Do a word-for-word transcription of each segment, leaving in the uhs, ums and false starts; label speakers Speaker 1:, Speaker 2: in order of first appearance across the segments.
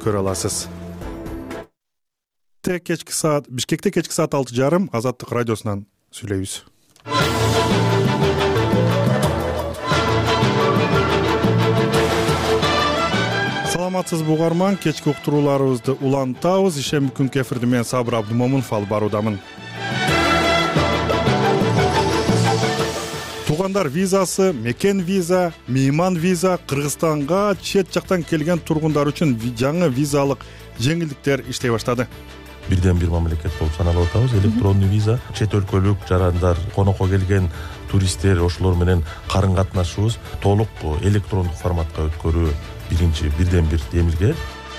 Speaker 1: көрө аласыз. Кечки саат Бишкекте кечки саат алты жарым Азаттык радиосунан сүйлөйбүз. Саламатсызбы угарман, кечки уктурууларыбызды улантабыз. Ишемби күнкү эфирди мен Сабыр Абдымомунов алып баруудамын. Туугандар визасы, мекен виза, мейман виза Кыргызстанга чет жактан келген тургундар үчүн жаңы визалык жеңилдиктер иштей баштады.
Speaker 2: Бирден бир мамлекет болуп саналып атабыз. Электрондуу виза чет өлкөлүк жарандар, конокко келген туристтер, ошолор менен карым катнашыбыз толук электрондук форматка өткөрүү биринчи бирден бир демилге.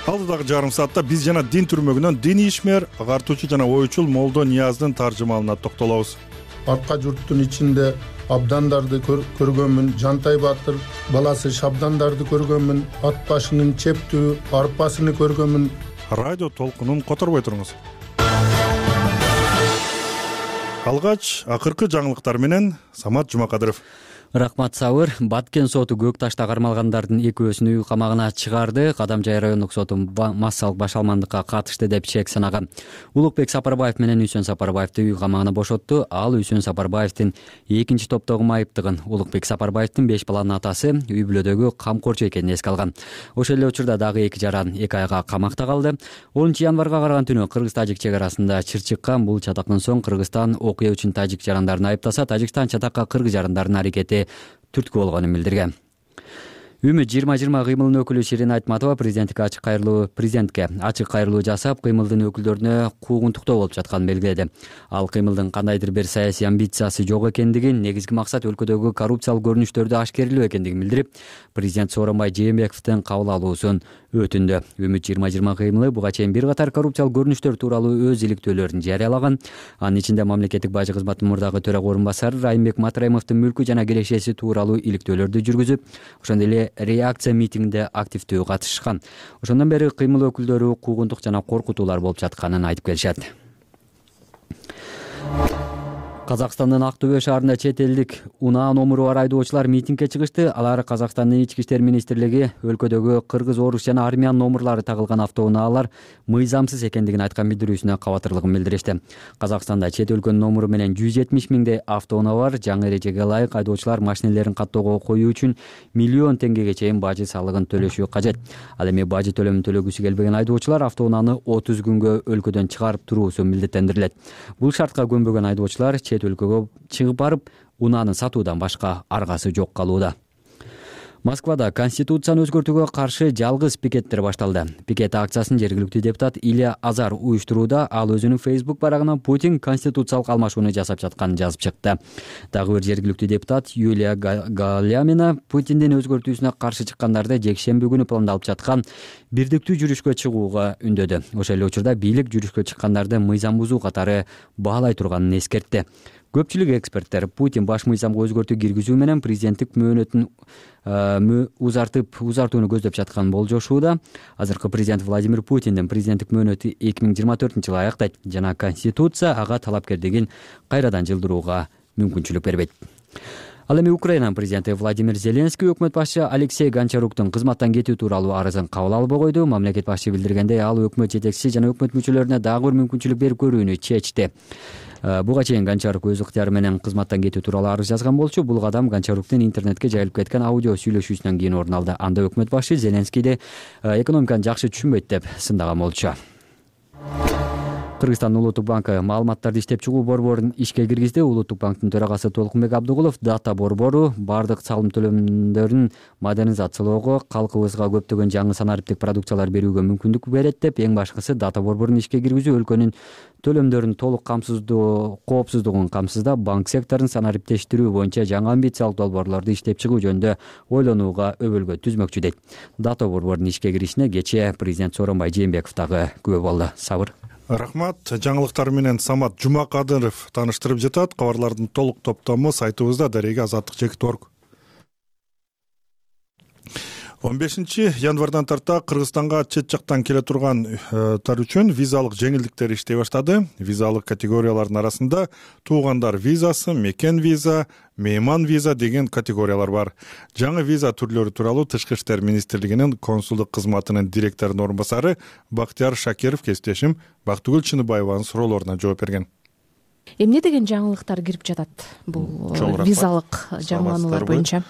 Speaker 1: Алдыдагы жарым саатта биз жана дин түрмөгүнөн диний ишмер, агартуучу жана оючул Молдо Нияздын таржымалына токтолобуз.
Speaker 3: Арка журттун ичинде абдандарды көргөнмүн, Жантай Батыр баласы Шабдандарды көргөнмүн, ат башынын чептүү арпасыны көргөнмүн.
Speaker 1: Радио толкунун которбой туруңуз. Алгач акыркы жаңылыктар менен Самат Жумакадыров.
Speaker 4: Рахмат Сабыр. Баткен соту Көк Ташта кармалгандардын экөөсүн үй камагына чыгарды. Кадамжай райондук соту массалык башалмандыкка катышты деп чек санаган. Улукбек Сапарбаев менен Үсөн Сапарбаевди үй камагына бошотту. Ал Үсөн Сапарбаевдин экинчи топтогу майыптыгын, Улукбек Сапарбаевдин беш баланын атасы үй бүлөдөгү камкорчу экенин эске алган. Ошол эле учурда дагы эки жаран эки айга камакта калды. онунчу январга караган түнү Кыргыз-Тажик чек арасында чыр чыккан. Бул чатактан соң Кыргызстан окуя үчүн тажик жарандарын айыптаса, Тажикстан чатакка кыргыз жарандардын аракети түрткү болгонун билдирген. Үмүт жыйырма жыйырма кыймылынын өкүлү Ширин Айтматова президенттикке ачык кайрылуу президентке ачык кайрылуу жасап, кыймылдын өкүлдөрүнө куугунтуктоо болуп жатканын белгиледи. Ал кыймылдын кандайдыр бир саясий амбициясы жок экендигин, негизги максат өлкөдөгү коррупциялык көрүнүштөрдү ашкерелөө экендигин билдирип, президент Сооронбай Жээнбековдун кабыл алуусун өтүндү. Үмүт жыйырма жыйырма кыймылы буга чейин бир катар коррупциялык көрүнүштөр тууралуу өз иликтөөлөрүн жарыялаган. Анын ичинде мамлекеттик бажы кызматынын мурдагы төрага орун басары Райымбек Матраимовдун мүлкү жана кирешеси тууралуу иликтөөлөрдү жүргүзүп, ошондой эле реакция митингинде активдүү катышкан. Ошондон бери кыймыл өкүлдөрү куугунтук жана коркутуулар болуп жатканын айтып келишет. Казакстандын Актөбө шаарында чет элдик унаа номуру бар айдоочулар митингге чыгышты. Алар Казакстандын ички иштер министрлиги өлкөдөгү кыргыз, орус жана армян номурлары тагылган автоунаалар мыйзамсыз экендигин айткан билдирүүсүнө кабатырлыгын билдиришти. Казакстанда чет өлкөнүн номуру менен жүз жетимиш миңдей автоунаа бар. Жаңы эрежеге ылайык айдоочулар машинелерин каттоого коюу үчүн миллион теңгеге чейин бажы салыгын төлөшү кажет. Ал эми бажы төлөмүн төлөгүсү келбеген айдоочулар автоунааны отуз күнгө өлкөдөн чыгарып туруусу милдеттендирилет. Бул шартка көнбөгөн айдоочулар өлкөгө чыгып барып, унааны сатуудан башка аргасы жок калууда. Москвада конституцияны өзгөртүүгө каршы жалгыз пикеттер башталды. Пикет акциясын жергиликтүү депутат Илья Азар уюштурууда. Ал өзүнүн Facebook барагына Путин конституциялык алмашууну жасап жатканын жазып чыкты. Дагы бир жергиликтүү депутат Юлия Галямина Путиндин өзгөртүүсүнө каршы чыккандарды жекшемби күнү пландалып жаткан бирдиктүү жүрүшкө чыгууга үндөдү. Ошол эле учурда бийлик жүрүшкө чыккандарды мыйзам бузуу катары баалай турганын эскертти. Көпчүлүк эксперттер Путин баш мыйзамга өзгөртүү киргизүү менен президенттик мөөнөтүн узартып узартууну көздөп жатканын болжошууда. Азыркы президент Владимир Путиндин президенттик мөөнөтү эки миң жыйырма төртүнчү жылы аяктайт жана конституция ага талапкерлигин кайрадан жылдырууга мүмкүнчүлүк бербейт. Ал эми Украинанын президенти Владимир Зеленский өкмөт башчы Алексей Гончаруктун кызматтан кетүү тууралуу арызын кабыл албай койду. Мамлекет башчы билдиргендей, ал өкмөт жетекчиси жана өкмөт мүчөлөрүнө дагы бир мүмкүнчүлүк берип көрүүнү чечти. Буга чейин Гончарук өз ыктыяры менен кызматтан кетүү тууралуу арыз жазган болчу. Бул кадам Гончаруктун интернетке жайылып кеткен аудио сүйлөшүүсүнөн кийин орун алды. Анда өкмөт башчы Зеленскийди экономиканы жакшы түшүнбөйт деп сындаган болчу. Кыргызстандын Улуттук банкы маалыматтарды иштеп чыгуу борборун ишке киргизди. Улуттук банктын төрагасы Толкунбек Абдыгулов дата борбору бардык салым төлөмдөрүн модернизациялоого, калкыбызга көптөгөн жаңы санариптик продукциялар берүүгө мүмкүндүк берет деп, эң башкысы дата борборун ишке киргизүү өлкөнүн төлөмдөрүн толук камсыздоо, коопсуздугун камсыздап, банк секторун санариптештирүү боюнча жаңы амбициялык долбоорлорду иштеп чыгуу жөнүндө ойлонууга өбөлгө түзмөкчү дейт. Дата борборунун ишке киришине кечээ президент Сооронбай Жээнбеков дагы күбө болду. Сабыр.
Speaker 1: Рахмат. Жаңылыктар менен Самат Жумакадыров тааныштырып жатат. Кабарлардын толук топтому сайтыбызда дареги азаттык чекит точка орг. он бешинчи январдан тарта Кыргызстанга чет жактан келе тургандар үчүн визалык жеңилдиктер иштей баштады. Визалык категориялардын арасында туугандар визасы, мекен виза, мейман виза деген категориялар бар. Жаңы виза түрлөрү тууралуу Тышкы иштер министрлигинин консулдук кызматынын директорунун орун басары Бактияр Шакиров кесиптешим Бактыгүл Чыныбаеванын суроолоруна жооп берген.
Speaker 5: Эмне деген жаңылыктар кирип жатат бул визалык жаңылануулар боюнча?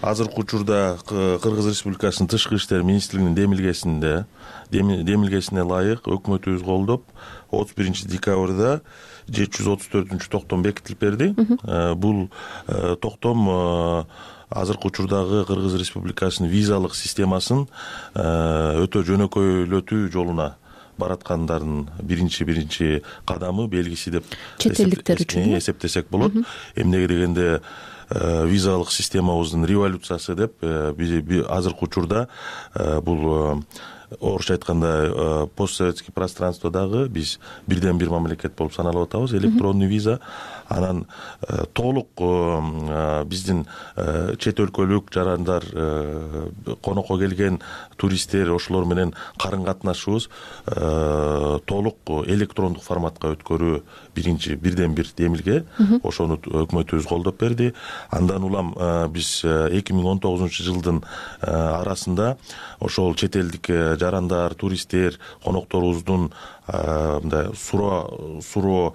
Speaker 2: Азыркы учурда Кыргыз Республикасынын Тышкы иштер министрлигинин демилгесинде демилгесине ылайык өкмөтүбүз колдоп отуз биринчи декабрда жети жүз отуз төртүнчү токтом бекитилип берди. Бул токтом азыркы учурдагы Кыргыз Республикасынын визалык системасын өтө жөнөкөйлөтүү жолуна бараткандардын биринчи биринчи кадамы, белгиси деп
Speaker 5: чет элдиктер үчүн
Speaker 2: эсептесек болот. Эмнеге дегенде визалык системабыздын революциясы деп биз азыркы учурда бул орусча айтканда постсоветский пространстводагы биз бирден бир мамлекет болуп саналып атабыз. Электронный виза анан толук биздин чет өлкөлүк жарандар, конокко келген туристтер, ошолор менен карын катнашыбыз толук электрондук форматка өткөрүү биринчи бирден бир демилге. Ошону өкмөтүбүз колдоп берди. Андан улам биз эки миң он тогузунчу жылдын арасында ошол чет элдик жарандар, туристтер, конокторубуздун мындай суроо суроо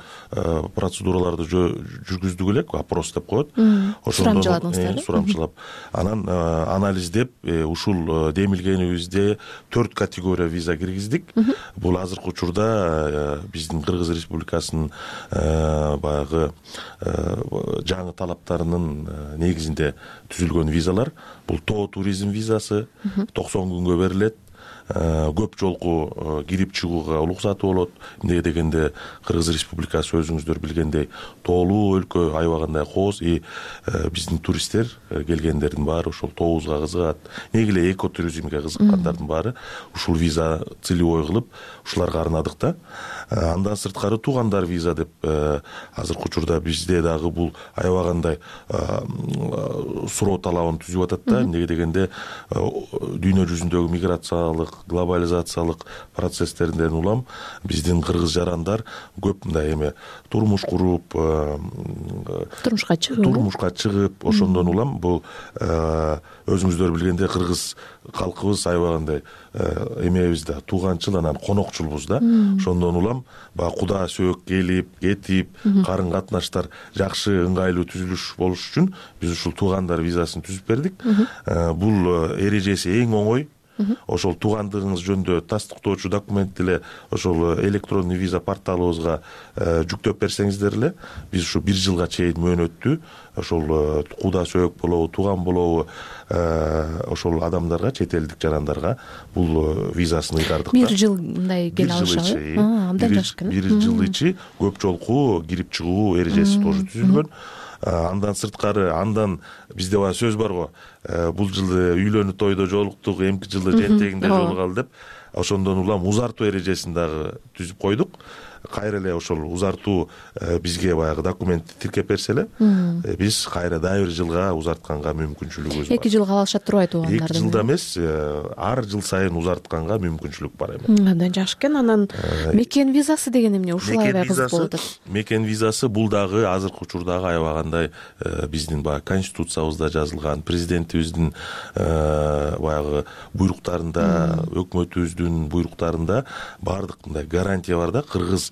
Speaker 2: процедураларды жүргүздүк элек, опрос деп коет.
Speaker 5: Сурамчыладыңыздар?
Speaker 2: Сурамчылап. Анан анализдеп ушул демилгенибизде төрт категория виза киргиздик. Бул азыркы учурда биздин Кыргыз Республикасынын баягы жаңы талаптарынын негизинде түзүлгөн визалар. Бул тоо туризм визасы токсон күнгө берилет. Көп жолку кирип чыгууга уруксаты болот. Эмнеге дегенде Кыргыз Республикасы өзүңүздөр билгендей тоолуу өлкө, аябагандай кооз, и биздин туристтер келгендердин баары ошол тообузга кызыгат. Неге эле экотуризмге кызыккандардын баары ушул виза целевой кылып ушуларга арнадык да. Андан сырткары туугандар виза деп азыркы учурда бизде дагы бул аябагандай суроо талабын түзүп атат да. Эмнеге дегенде дүйнө жүзүндөгү миграциялык, глобализациялык процесстерден улам биздин кыргыз жарандар көп мындай эме турмуш куруп,
Speaker 5: турмушка чыгып,
Speaker 2: турмушка чыгып, ошондон улам бул өзүңүздөр билгендей кыргыз калкыбыз аябагандай эмебиз да, тууганчыл, анан конокчулбуз да. Ошондон улам баягы куда сөөк келип, кетип, карын катнаштар жакшы, ыңгайлуу түзүлүш болуш үчүн биз ушул туугандар визасын түзүп бердик. Бул эрежеси эң оңой. Ошол туугандыгыңыз жөнүндө тастыктоочу документ эле ошол электронный виза порталыбызга жүктөп берсеңиздер эле биз ушу бир жылга чейин мөөнөттүү ошол куда сөөк болобу, тууган болобу ошол адамдарга, чет элдик жарандарга бул визасын ыйгардык.
Speaker 5: Бир жыл мындай келе алышабы? Абдан жакшы экен.
Speaker 2: Бир жыл ичи көп жолку кирип чыгуу эрежеси тоже түзүлгөн. Андан сырткары, андан бизде баа сөз бар го, бул жылы үйлөнүү тойдо жолуктук, эмки жылы жентегинде жолугалы деп. Ошондон улам узартуу эрежесин дагы түзүп койдук. Кайра эле ошол узартуу бизге баягы документти тиркеп берсе эле биз кайра дагы бир жылга узартканга мүмкүнчүлүгүбүз бар.
Speaker 5: Эки жылга калышат турбайт туугандардын?
Speaker 2: Эки жылда эмес, ар жыл сайын узартканга мүмкүнчүлүк бар эми.
Speaker 5: Абдан жакшы экен. Анан мекен визасы деген эмне? Ушул аябай кызык болуп атат.
Speaker 2: Мекен визасы бул дагы азыркы учурдагы аябагандай биздин баягы конституциябызда жазылган, президентибиздин баягы буйруктарында, өкмөтүбүздүн буйруктарында баардык мындай гарантия бар да. Кыргыз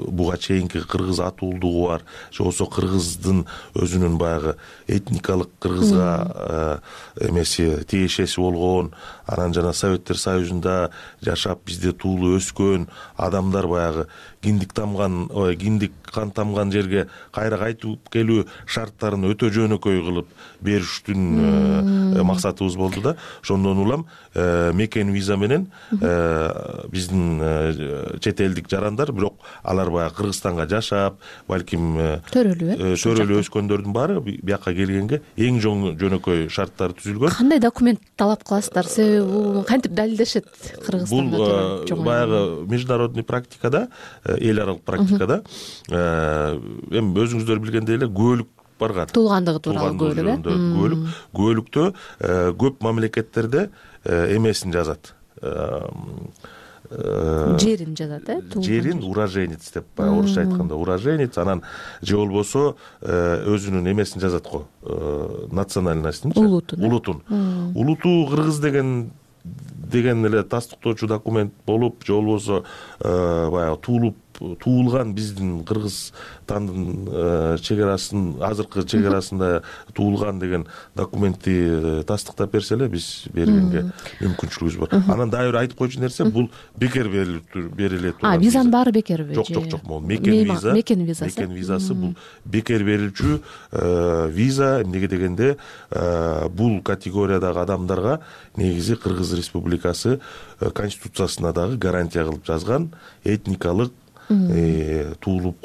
Speaker 2: буга чейинки кыргыз атуулдугу бар, же болбосо кыргыздын өзүнүн баягы этникалык кыргызга эмеси тиешеси болгон, анан жана Советтер Союзунда жашап бизде туулуп өскөн адамдар баягы киндик тамган, ой, киндик кан тамган жерге кайра кайтып келүү шарттарын өтө жөнөкөй кылып бериштин максатыбыз болду да. Ошондон улам мекен виза менен биздин чет элдик жарандар, бирок алар баягы Кыргызстанга жашап, балким
Speaker 5: төрөлүп,
Speaker 2: төрөлүп өскөндөрдүн баары бияка келгенге эң жөнөкөй шарттар түзүлгөн.
Speaker 5: Кандай документ талап кыласыздар? Себеби бул кантип далилдешет Кыргызстанда?
Speaker 2: Бул баягы международный практикада, эл аралык практикада эми өзүңүздөр билгендей эле күбөлүк барган
Speaker 5: туулгандыгы тууралуу күбөлүк э
Speaker 2: күбөлүк күбөлүктө көп мамлекеттерде эмесин жазат,
Speaker 5: жерин жазат э
Speaker 2: жерин уроженец деп, баягы орусча айтканда уроженец, анан же болбосо өзүнүн эмесин жазат го, национальностьтин,
Speaker 5: улутун
Speaker 2: улутун улуту кыргыз деген деген эле тастыктоочу документ болуп, же болбосо баягы туулуп туулган биздин Кыргызстандын чегарасын, азыркы чегарасында туулган деген документти тастыктап берсе эле биз бергенге мүмкүнчүлүгүбүз бар. Анан дагы бир айтып коючу нерсе, бул бекер бериле турган.
Speaker 5: А, визанын баары бекерби?
Speaker 2: Жок, жок, жок. Бул мекен виза.
Speaker 5: Мекен визасы.
Speaker 2: Мекен визасы бул бекер берилчү виза. Эмнеге дегенде, бул категориядагы адамдарга негизи Кыргыз Республикасы Конституциясына дагы гарантия кылып жазган этникалык туулуп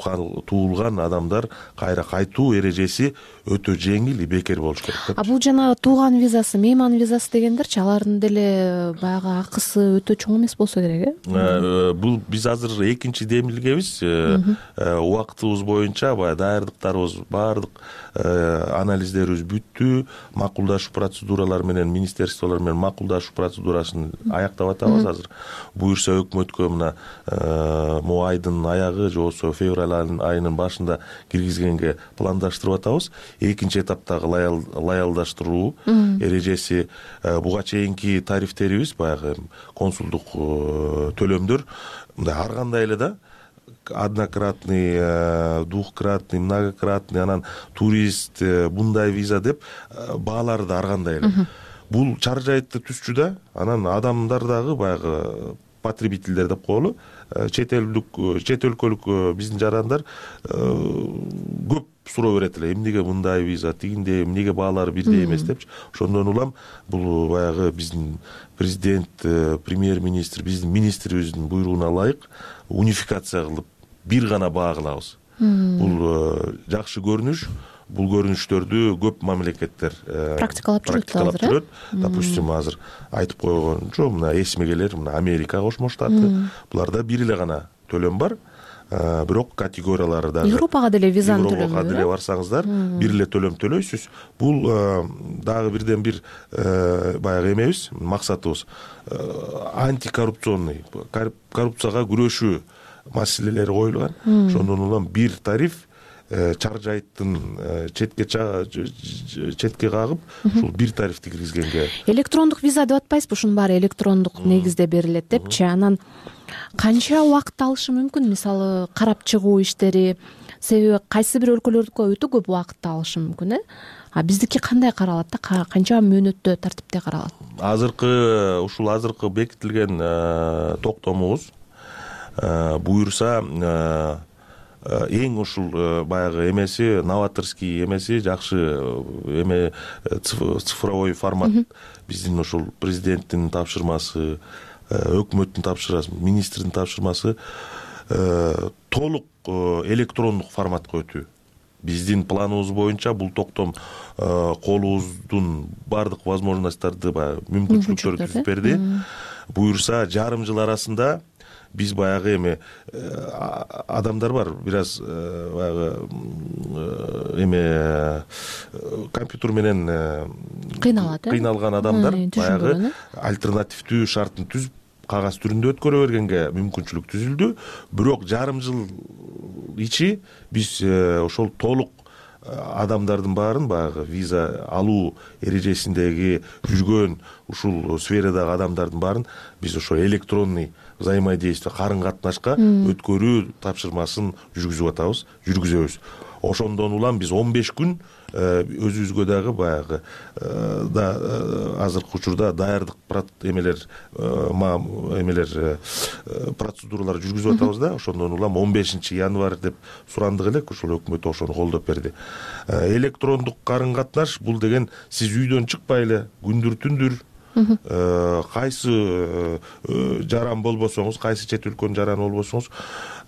Speaker 2: туулган адамдар кайра кайтуу эрежеси өтө жеңил и бекер болуш керек деп.
Speaker 5: А бул жана тууган визасы, мейман визасы дегендерчи, алардын деле баягы акысы өтө чоң эмес болсо керек э?
Speaker 2: Бул биз азыр экинчи демилгебиз. Убактыбыз боюнча баягы даярдыктарыбыз, баардык анализдерибиз бүттү. Макулдашуу процедуралары менен, министерстволор менен макулдашуу процедурасын аяктап атабыз азыр. Буюрса өкмөткө мына могу айдын аягы же болбосо февраль айынын башында киргизгенге пландаштырып атабыз. Экинчи этаптагы лаялдаштыруу эрежеси, буга чейинки тарифтерибиз, баягы консулдук төлөмдөр мындай ар кандай эле да, однократный, двухкратный, многократный, анан турист, мындай виза деп баалары да ар кандай эле. Бул чаржайтты түзчү да, анан адамдар дагы баягы потребительдер деп коелу, чет элдик, чет өлкөлүк биздин жарандар көп суроо берет эле, эмнеге мындай виза, тигиндей, эмнеге баалары бирдей эмес депчи. Ошондон улам бул баягы биздин президент, премьер-министр, биздин министрибиздин буйругуна ылайык унификация кылып бир гана баа кылабыз. Бул жакшы көрүнүш. Бул көрүнүштөрдү көп мамлекеттер
Speaker 5: практикалап жүрөт.
Speaker 2: Допустим, азыр айтып койгончо, мына эсиме келер, мына Америка Кошмо Штаты, буларда бир эле гана төлөм бар. Бирок категориялары дагы
Speaker 5: Европага деле визанын төлөмү.
Speaker 2: Европага деле барсаңыздар, бир эле төлөм төлөйсүз. Бул дагы бирден бир баягы эмебиз, максатыбыз антикоррупционный, коррупцияга күрөшүү маселелери коюлган. Ошондон улам бир тариф чаржайттын четке четке кагып, ушул бир тарифти киргизгенге.
Speaker 5: Электрондук виза деп атпайсызбы? Ушунун баары электрондук негизде берилет депчи. Анан канча убакыт алышы мүмкүн? Мисалы, карап чыгуу иштери, себеби кайсы бир өлкөлөрдүкү өтө көп убакыт алышы мүмкүн э? А биздики кандай каралат да? Канча мөөнөттө, тартипте каралат?
Speaker 2: Азыркы ушул азыркы бекитилген токтомубуз буюрса эң ушул баягы эмеси, новаторский эмеси, жакшы эме цифровой формат. Биздин ушул президенттин тапшырмасы, өкмөттүн тапшырмасы, министрдин тапшырмасы толук электрондук форматка өтүү. Биздин планыбыз боюнча бул токтом колубуздун баардык возможностторду, баягы мүмкүнчүлүктөрдү түзүп берди. Буюрса жарым жыл арасында биз баягы эме адамдар бар, бир аз баягы эме компьютер менен
Speaker 5: кыйналат,
Speaker 2: кыйналган адамдар баягы альтернативдүү шартын түзүп кагаз түрүндө өткөрө бергенге мүмкүнчүлүк түзүлдү. Бирок жарым жыл ичи биз ошол толук адамдардын баарын, баягы виза алуу эрежесиндеги жүргөн ушул сферадагы адамдардын баарын биз ошо электронный взаимодействие, карын катнашка өткөрүү тапшырмасын жүргүзүп атабыз, жүргүзөбүз. Ошондон улам биз он беш күн өзүбүзгө дагы баягы да азыркы учурда даярдык эмелер эмелер процедуралар жүргүзүп атабыз да. Ошондон улам он бешинчи январь деп сурандык элек, ошол өкмөт ошону колдоп берди. Электрондук карын катнаш бул деген сиз үйдөн чыкпай эле күндүр түндүр кайсы жаран болбосоңуз, кайсы чет өлкөнүн жараны болбосоңуз,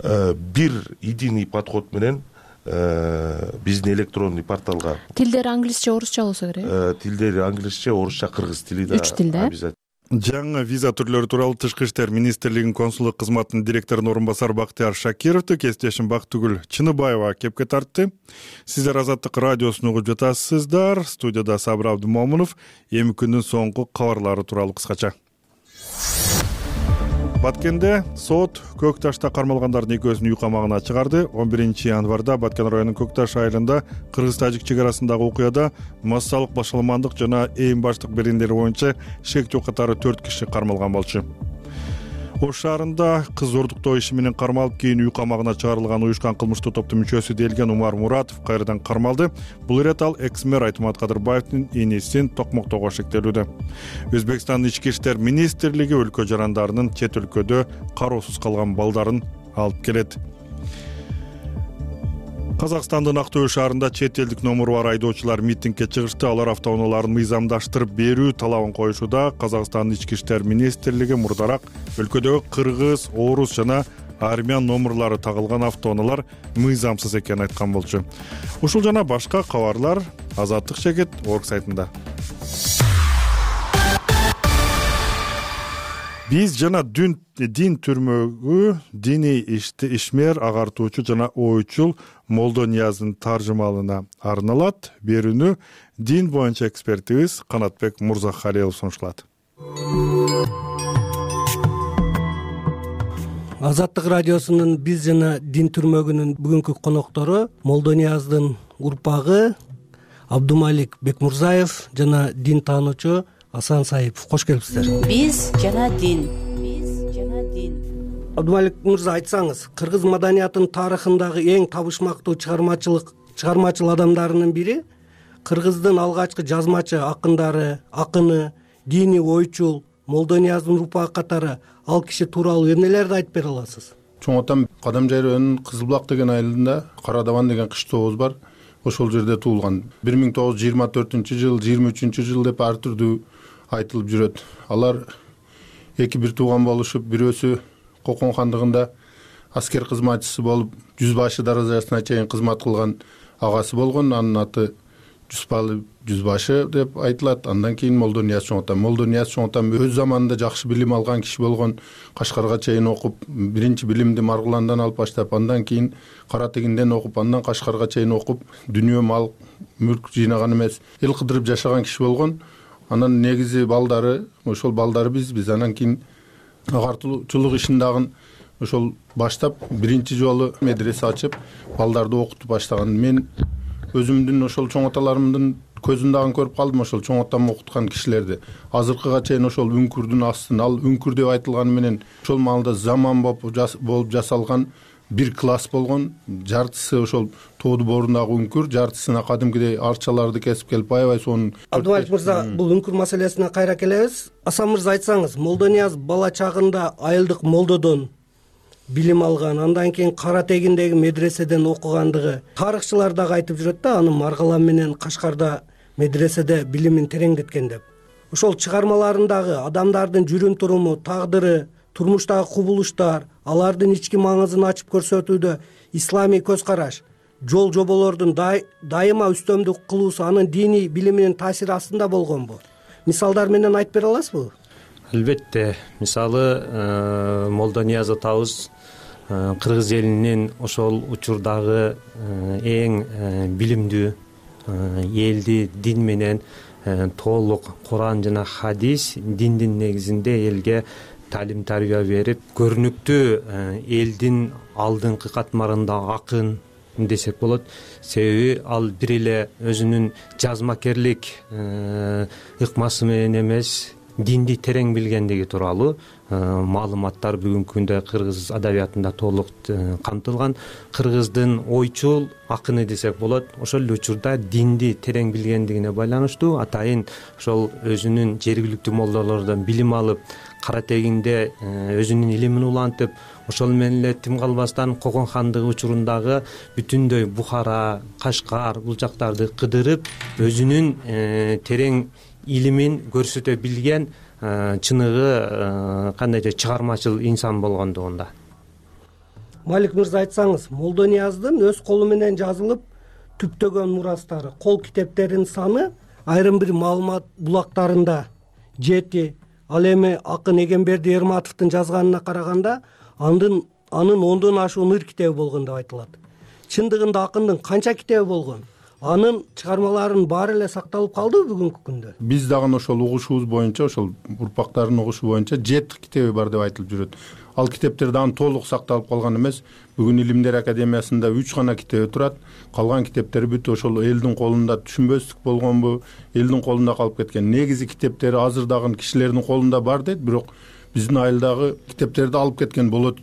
Speaker 2: бир единый подход менен биздин электронный порталга.
Speaker 5: Тилдери англисче, орусча болсо керек.
Speaker 2: Тилдери англисче, орусча, кыргыз тили да.
Speaker 5: Үч тилде.
Speaker 1: Жаңы виза түрлөрү тууралуу Тышкы иштер министрлигинин консулдук кызматынын директорунун орун басары Бактыяр Шакировду кесиптешим Бактыгүл Чыныбаева кепке тартты. Сиздер Азаттык радиосун угуп жатасыздар. Студияда Сабыр Абдымомунов. Эми күндүн соңку кабарлары тууралуу кыскача. Баткенде сот Көк Ташта кармалгандардын экөөсүн үй камагына чыгарды. он биринчи январда Баткен районунун Көк Таш айылында кыргыз-тажик чек арасындагы окуяда массалык башаламандык жана эң баштык берендери боюнча шектөө катары төрт киши кармалган болчу. Ош шаарында кыз зордуктоо иши менен кармалып, кийин үй камагына чыгарылган уюшкан кылмыштуу топтун мүчөсү делген Умар Муратов кайрадан кармалды. Бул ирет ал экс-мэр Айтмат Кадырбаевдин инисин токмоктоого шектелүүдө. Өзбекстандын ички иштер министрлиги өлкө жарандарынын чет өлкөдө кароосуз калган балдарын алып келет. Казакстандын Актөбө шаарында чет элдик номуру бар айдоочулар митингге чыгышты. Алар автоунааларын мыйзамдаштырып берүү талабын коюшууда. Казакстандын ички иштер министрлиги мурдараак өлкөдөгү кыргыз, орус жана армян номурлары тагылган автоунаалар мыйзамсыз экенин айткан болчу. Ушул жана башка кабарлар Азаттык чекит орг сайтында. Биз жана дин түрмөгү диний ишмер, агартуучу жана ойчул Молдо Нияздын таржымалына арналат. Берүүнү дин боюнча экспертибиз Канатбек Мурзахалилов сунушталат.
Speaker 6: Азаттык радиосунун биз жана дин түрмөгүнүн бүгүнкү коноктору Молдо Нияздын урпагы Абдумалик Бекмурзаев жана дин таануучу Асан Саипов. Кош келипсиздер.
Speaker 7: Биз жана дин. Биз жана дин.
Speaker 6: Абдумалик мырза, айтсаңыз, кыргыз маданиятынын тарыхындагы эң табышмактуу чыгармачылык чыгармачыл адамдарынын бири, кыргыздын алгачкы жазмачы акындары, акыны, диний ойчул Молдо Нияздын урпагы катары ал киши тууралуу эмнелерди айтып бере аласыз?
Speaker 3: Чоң атам Кадамжай районунун Кызылбулак деген айылында Карадабан деген кыштообуз бар. Ошол жерде туулган. бир миң тогуз жүз жыйырма төртүнчү жыл, жыйырма үчүнчү жыл деп ар түрдүү айтылып жүрөт. Алар эки бир тууган болушуп, бирөөсү Кокон хандыгында аскер кызматчысы болуп, жүз башы даражасына чейин кызмат кылган агасы болгон. Анын аты Жүспалы жүзбашы деп айтылат. Андан кийин Молдо Нияз чоңотам. Молдо Нияз чоңотам өз заманында жакшы билим алган киши болгон. Кашкарга чейин окуп, биринчи билимди Маргуландан алып баштап, андан кийин Кара Тегинден окуп, андан Кашкарга чейин окуп, дүнүйө мал, мүлк жыйнаган эмес, эл кыдырып жашаган киши болгон. Анан негизи балдары, ошол балдары биз, биз анан кийин агартуучулук ишин дагы ошол баштап биринчи жолу медресе ачып, балдарды окутуп баштаган. Мен өзүмдүн ошол чоң аталарымдын көзүн дагы көрүп калдым, ошол чоң атам окуткан кишилерди. Азыркыга чейин ошол үңкүрдүн астын, ал үңкүр деп айтылганы менен ошол маалда заман болуп жасалган бир класс болгон. Жартысы ошол тооду боорундагы үңкүр, жартысына кадимкидей арчаларды кесип келип аябай сонун.
Speaker 6: Абдумалик мырза, бул үңкүр маселесине кайра келебиз. Асан мырза, айтсаңыз, Молдо Нияз бала чагында айылдык молдодон билим алган, андан кийин Кара Тегиндеги медреседен окугандыгы тарыхчылар дагы айтып жүрөт да, анын Маргалан менен Кашкарда медреседе билимин тереңдеткен деп. Ошол чыгармаларындагы адамдардын жүрүм туруму, тагдыры, турмуштагы кубулуштар, алардын ички маңызын ачып көрсөтүүдө исламий көз караш, жол жоболордун дайыма үстөмдүк кылуусу анын диний билиминин таасири астында болгонбу? Мисалдар менен айтып бере аласызбы?
Speaker 8: Албетте. Мисалы, Молдо Нияз атабыз кыргыз элинин ошол учурдагы эң билимдүү, элди дин менен толук Куран жана хадис, диндин негизинде элге талим тарбия берип, көрүнүктүү элдин алдыңкы катмарында акын десек болот. Себеби ал бир эле өзүнүн жазмакерлик ыкмасы менен эмес, динди терең билгендиги тууралуу маалыматтар бүгүнкү күндө кыргыз адабиятында толук камтылган. Кыргыздын ойчул акыны десек болот. Ошол эле учурда динди терең билгендигине байланыштуу атайын ошол өзүнүн жергиликтүү молдолордон билим алып, Кара Тегинде өзүнүн илимин улантып, ошол менен эле тим калбастан Кокон хандыгы учурундагы бүтүндөй Бухара, Кашкар бул жактарды кыдырып, өзүнүн терең илимин көрсөтө билген чыныгы кандайча чыгармачыл инсан болгондугунда.
Speaker 6: Малик мырза, айтсаңыз, Молдо Нияздын өз колу менен жазылып түптөгөн мурастары, кол китептеринин саны айрым бир маалымат булактарында жети, ал эми акын Эгемберди Эрматовдун жазганына караганда анын анын ондон ашуун ыр китеби болгон деп айтылат. Чындыгында акындын канча китеби болгон? Анын чыгармаларынын баары эле сакталып калдыбы бүгүнкү күндө?
Speaker 3: Биз дагы ошол угушубуз боюнча, ошол урпактардын угушу боюнча жети китеби бар деп айтылып жүрөт. Ал китептер дагы толук сакталып калган эмес. Бүгүн Илимдер академиясында үч гана китеби турат. Калган китептер бүт ошол элдин колунда түшүнбөстүк болгонбу, элдин колунда калып кеткен. Негизи китептери азыр дагы кишилердин колунда бар дейт, бирок биздин айылдагы китептерди алып кеткен болот.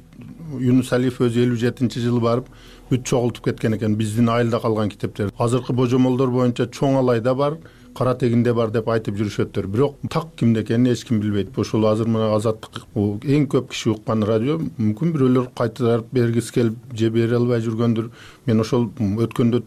Speaker 3: Юнус Алиев өзү элүү жетинчи жылы барып бүт чогултуп кеткен экен биздин айылда калган китептер. Азыркы божомолдор боюнча Чоң Алайда бар, Кара тегинде бар деп айтып жүрүшөттөр. Бирок так кимде экенин эч ким билбейт. Ошол азыр мына Азаттык эң көп киши уккан радио. Мүмкүн бирөөлөр кайтарып бергиси келип же бере албай жүргөндүр. Мен ошол өткөндө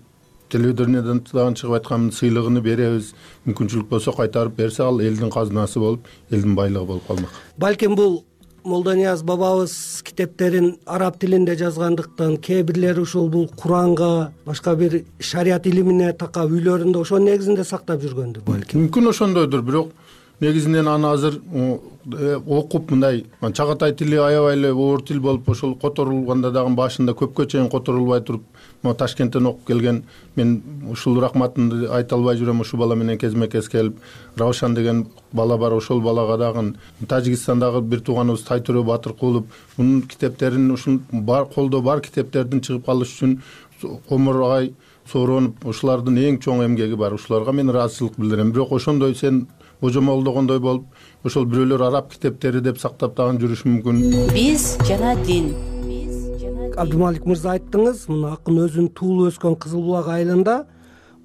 Speaker 3: телевидениеден дагы чыгып айтканмын, сыйлыгын беребиз. Мүмкүнчүлүк болсо кайтарып берсе, ал элдин казынасы болуп, элдин байлыгы болуп калмак.
Speaker 6: Балким бул Молдонияз бабабыз китептерин араб тилинде жазгандыктан, кээ бирлери ушул бул Куранга, башка бир шарият илимине такап үйлөрүндө ошонун негизинде сактап жүргөндүр балким.
Speaker 3: Мүмкүн ошондойдур, бирок негизинен аны азыр окуп мындай чагатай тили аябай эле оор тил болуп, ошол которулганда дагы башында көпкө чейин которулбай туруп, могу Ташкенттен окуп келген мен ушул рахматымды айта албай жүрөм. Ушул бала менен кезме-кез келип, Раушан деген бала бар, ошол балага дагы Тажикстандагы бир тууганыбыз Тайтөрө Батыркулов мунун китептерин, ушул бар колдо бар китептердин чыгып калышы үчүн Омур агай сооронуп, ушулардын эң чоң эмгеги бар. Ушуларга мен ыраазычылык билдирем. Бирок ошондой сен божомолдогондой болуп, ошол бирөөлөр араб китептери деп сактап дагы жүрүшү мүмкүн.
Speaker 7: Биз жана дин.
Speaker 6: Абдумалик мырза, айттыңыз, мына акын өзүнүн туулуп өскөн Кызыл Булак айылында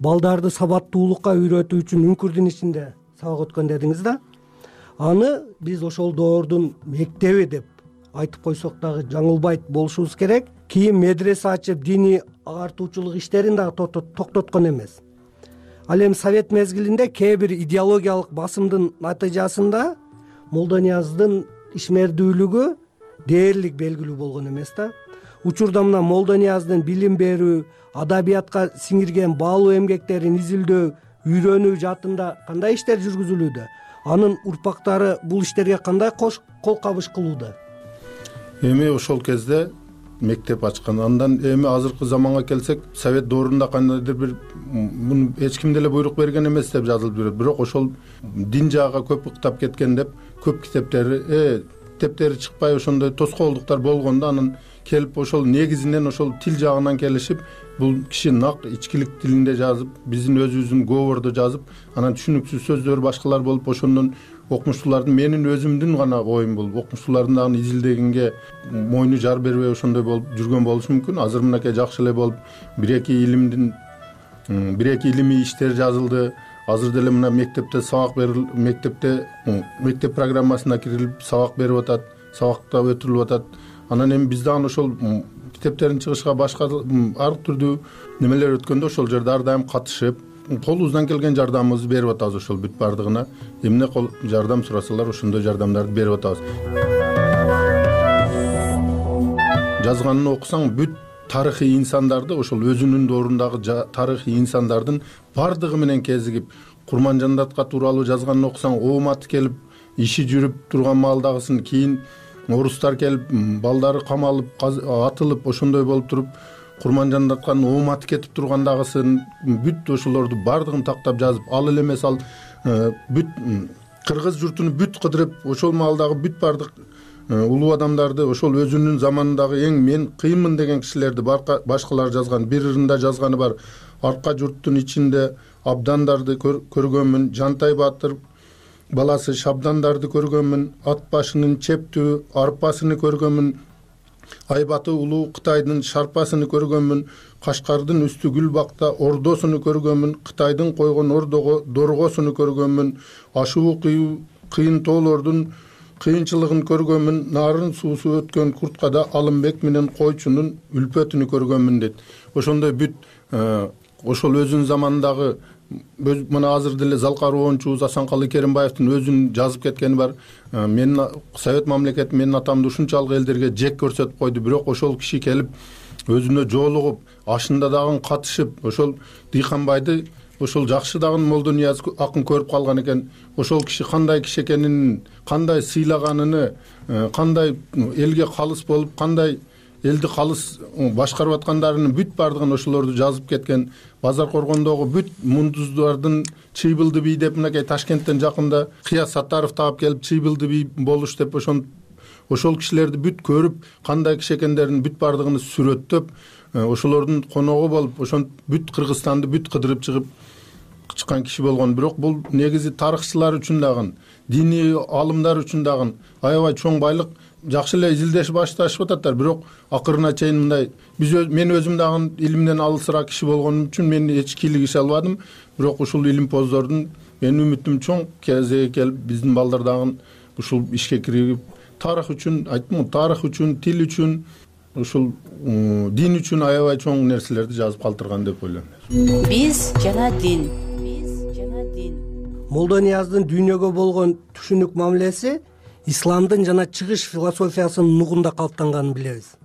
Speaker 6: балдарды сабаттуулукка үйрөтүү үчүн үңкүрдүн ичинде сабак өткөн дедиңиз да. Аны биз ошол доордун мектеби деп айтып койсок дагы жаңылбайт болушубуз керек. Кийин медресе ачып, диний агартуучулук иштерин дагы токтоткон эмес. Ал эми Совет мезгилинде кээ бир идеологиялык басымдын натыйжасында Молдонияздын ишмердүүлүгү дээрлик белгилүү болгон эмес да. Учурда мына Молдонияздын билим берүү, адабиятка сиңирген баалуу эмгектерин изилдөө, үйрөнүү жаатында кандай иштер жүргүзүлүүдө? Анын урпактары бул иштерге кандай кол кабыш кылууда?
Speaker 3: Эми ошол кезде мектеп ачкан. Андан эми азыркы заманга келсек, Совет доорунда кандайдыр бир муну эч ким деле буйрук берген эмес деп жазылып жүрөт. Бирок ошол дин жагы көп уктап кеткен деп көп китептери э китептери чыкпай ошондой тоскоолдуктар болгондо анан келип ошол негизинен ошол тил жагынан келишип, бул киши нак ичкилик тилинде жазып, биздин өзүбүздүн говордо жазып, анан түшүнүксүз сөздөр башкалар болуп, ошондон окумуштуулардын, менин өзүмдүн гана оюм бул, окумуштуулардын дагы изилдегенге мойну жар бербей ошондой болуп жүргөн болушу мүмкүн. Азыр мынакей жакшы эле болуп бир эки илимдин бир эки илимий иштер жазылды. Азыр деле мына мектепте сабак берилип, мектепте мектеп программасына кирилип сабак берип атат, сабакта өтүрүлүп атат. Анан эми биз дагы ошол китептерин чыгышка башка ар түрдүү немелер өткөндө ошол жерде ар дайым катышып, колубуздан келген жардамыбызды берип атабыз. Ошол бүт бардыгына эмне жардам сурасалар, ошондой жардамдарды берип атабыз. Жазганын окусаң, бүт тарыхый инсандарды, ошол өзүнүн доорундагы тарыхый инсандардын бардыгы менен кезигип, Курманжандатка тууралуу жазганын окусаң, ооматы келип, иши жүрүп турган маалдагысын, кийин орустар келип, балдары камалып, атылып, ошондой болуп туруп, Курманжандатканын ооматы кетип тургандагысын, бүт ошолорду бардыгын тактап жазып, ал эле эмес, ал бүт кыргыз журтуну бүт кыдырып, ошол маалдагы бүт бардык улуу адамдарды, ошол өзүнүн заманындагы эң мен кыйынмын деген кишилерди башкалар жазган, бир ырында жазганы бар. Арка журттун ичинде абдандарды көргөнмүн, Жантай Батыр баласы Шабдандарды көргөнмүн, ат башынын чептүү арпасыны көргөнмүн, Айбаты улуу Кытайдын шарпасыны көргөнмүн, Кашкардын үстү гүл бакта ордосуну көргөнмүн, Кытайдын койгон ордого доргосуну көргөнмүн, ашуу кыйын тоолордун кыйынчылыгын көргөнмүн, нарын суусу өткөн курткада Алымбек менен койчунун үлпөтүнү көргөнмүн дейт. Ошондой бүт ошол өзүнүн заманындагы мына азыр деле Залкар оончубуз Асанкалы Керимбаевдин өзүнүн жазып кеткени бар. Менин Совет мамлекети менин атамды ушунчалык элдерге жек көрсөтүп койду, бирок ошол киши келип өзүнө жолугуп, ашында дагы катышып, ошол Дыйканбайды ошол жакшы дагы Молдонияз акын көрүп калган экен. Ошол киши кандай киши экенин, кандай сыйлаганыны, кандай элге калыс болуп, кандай элди калыс башкарып аткандарын бүт бардыгын ошолорду жазып кеткен. Базар Коргондогу бүт мундуздардын Чыйбылды бий деп мынакей Ташкенттен жакында Кыяз Саттаров таап келип Чыйбылды бий болуш деп ошон ошол кишилерди бүт көрүп, кандай киши экендерин бүт бардыгын сүрөттөп, ошолордун коногу болуп, ошон бүт Кыргызстанды бүт кыдырып чыгып чыккан киши болгон. Бирок бул негизи тарыхчылар үчүн дагы, диний алымдар үчүн дагы аябай чоң байлык. Жакшы эле изилдеш башташып ататтар, бирок акырына чейин мындай биз мен өзүм дагы илимден алысыраак киши болгонум үчүн мен эч кийлигише албадым. Бирок ушул илимпоздордун менин үмүтүм чоң, кезеги келип биздин балдар дагы ушул ишке кирип тарых үчүн, айттым, тарых үчүн, тил үчүн, ушул дин үчүн аябай чоң нерселерди жазып калтырган деп ойлойм.
Speaker 7: Биз жана дин. Биз жана дин.
Speaker 6: Молдонияздын дүйнөгө болгон түшүнүк мамилеси исламдын жана чыгыш философиясынын нугунда калыптанганын билебиз.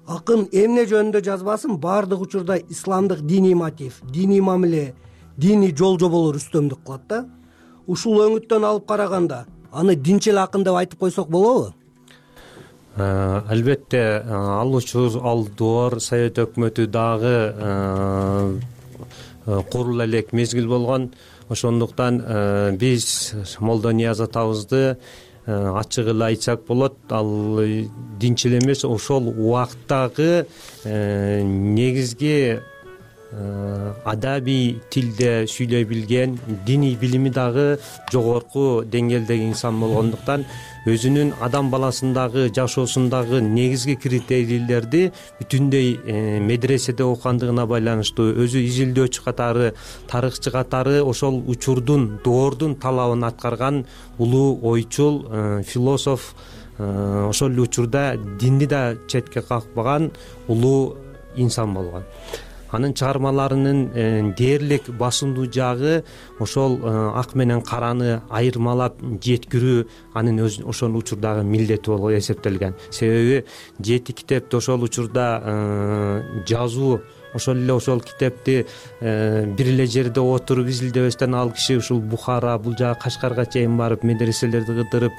Speaker 6: Акын эмне жөнүндө жазбасын баардык учурда исламдык диний мотив, диний мамиле, диний жол жоболор үстөмдүк кылат да. Ушул өңүттөн алып караганда аны динчил акын деп айтып койсок болобу?
Speaker 8: Албетте, ал учур, ал доор Совет өкмөтү дагы курула элек мезгил болгон. Ошондуктан биз Молдонияз атабызды ачык эле айтсак болот, ал динчил эмес, ошол убакыттагы негизги адабий тилде сүйлөй билген, диний билими дагы жогорку деңгээлдеги инсан болгондуктан өзүнүн адам баласындагы жашоосундагы негизги критерийлерди бүтүндөй медреседе окугандыгына байланыштуу өзү изилдөөчү катары, тарыхчы катары ошол учурдун, доордун талабын аткарган улуу ойчул философ, ошол эле учурда динди да четке какпаган улуу инсан болгон. Анын чыгармаларынын дээрлик басымдуу жагы ошол ак менен караны айырмалап жеткирүү анын ошол учурдагы милдети болуп эсептелген. Себеби жети китепти ошол учурда жазуу, ошол эле ошол китепти бир эле жерде отуруп изилдебестен ал киши ушул Бухара, бул жагы Кашкарга чейин барып медреселерди кыдырып,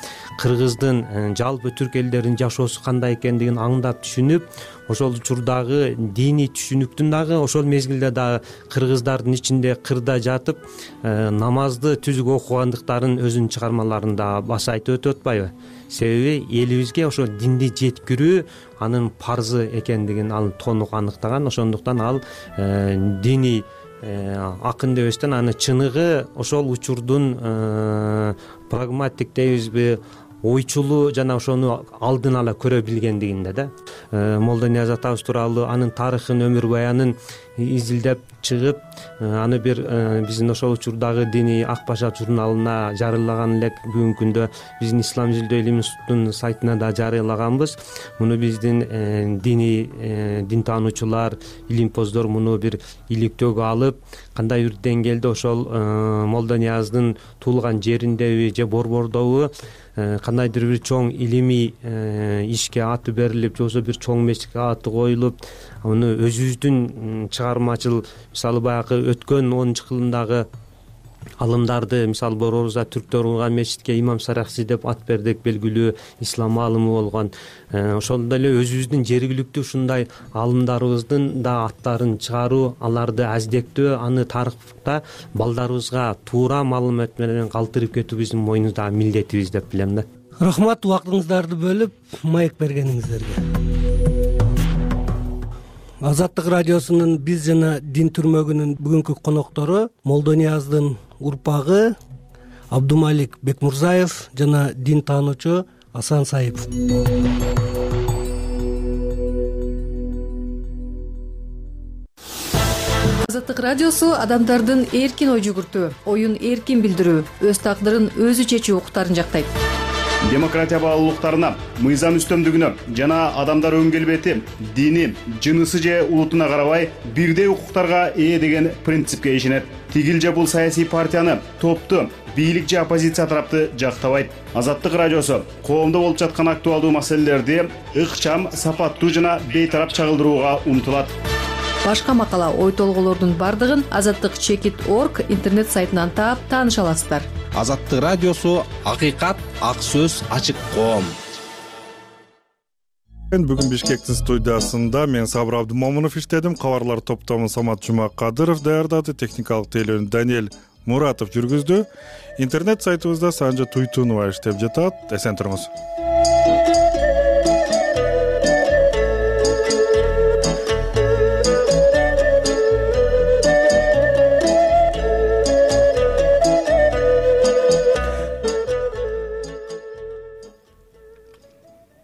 Speaker 8: кыргыздын жалпы түрк элдеринин жашоосу кандай экендигин аңдап түшүнүп, ошол учурдагы диний түшүнүктүн дагы ошол мезгилде дагы кыргыздардын ичинде кырда жатып намазды түзүк окугандыктарын өзүнүн чыгармаларында баса айтып өтүп атпайбы? Себеби элибизге ошол динди жеткирүү анын парзы экендигин ал тонук аныктаган. Ошондуктан ал диний акын дебестен аны чыныгы ошол учурдун прагматик дейбизби, ойчулуу жана ошону алдын ала көрө билгендигинде да. Молдонияз атабыз тууралуу анын тарыхын, өмүр баянын изилдеп чыгып, аны бир биздин ошол учурдагы диний Ак Баша журналына жарыялаган элек. Бүгүнкү күндө биздин Ислам изилдөө илим институтунун сайтына да жарыялаганбыз. Муну биздин диний дин таануучулар, илимпоздор муну бир иликтөөгө алып, кандай бир деңгээлде ошол Молдонияздын туулган жериндеби же Борбордобу кандайдыр бир чоң илимий ишке аты берилип, же болбосо бир чоң мечитке аты коюлуп, аны өзүбүздүн чыгармачыл, мисалы баягы өткөн онунчу кылымдагы алымдарды, мисалы Борборубузда түрктөр курган мечитке Имам Сарахси деп ат бердик, белгилүү ислам аалымы болгон. Ошондой эле өзүбүздүн жергиликтүү ушундай аалымдарыбыздын да аттарын чыгаруу, аларды аздектөө, аны тарыхта балдарыбызга туура маалымат менен калтырып кетүү биздин мойнубуздагы милдетибиз деп билем да.
Speaker 6: Рахмат, убактыңыздарды бөлүп маек бергениңиздерге. Азаттык радиосунун биз жана дин түрмөгүнүн бүгүнкү коноктору Молдонияздын урпагы Абдумалик Бекмурзаев жана дин таануучу Асан Саипов.
Speaker 9: Азаттык радиосу адамдардын эркин ой жүгүртүү, оюн эркин билдирүү, өз тагдырын өзү чечүү укуктарын жактайт.
Speaker 10: Демократия баалуулуктарына, мыйзам үстөмдүгүнө жана адамдар өң келбети, дини, жынысы же улутуна карабай бирдей укуктарга ээ деген принципке ишенет. Тигил же бул саясий партияны, топту, бийлик же оппозиция тарапты жактабайт. Азаттык радиосу коомдо болуп жаткан актуалдуу маселелерди ыкчам, сапаттуу жана бейтарап чагылдырууга умтулат.
Speaker 9: башка макала ой толгоолордун бардыгын азаттык чекит орг интернет сайтынан таап тааныша аласыздар.
Speaker 11: Азаттык радиосу акыйкат, ак сөз, ачык коом.
Speaker 1: Бүгүн Бишкектин студиясында мен Сабыр Абдымомунов иштедим. Кабарлар топтомун Самат Жумакадыров даярдады, техникалык тейлөөнү Даниэль Муратов жүргүздү. Интернет сайтыбызда Санжа Туйтунова иштеп жатат. Эсен туруңуз.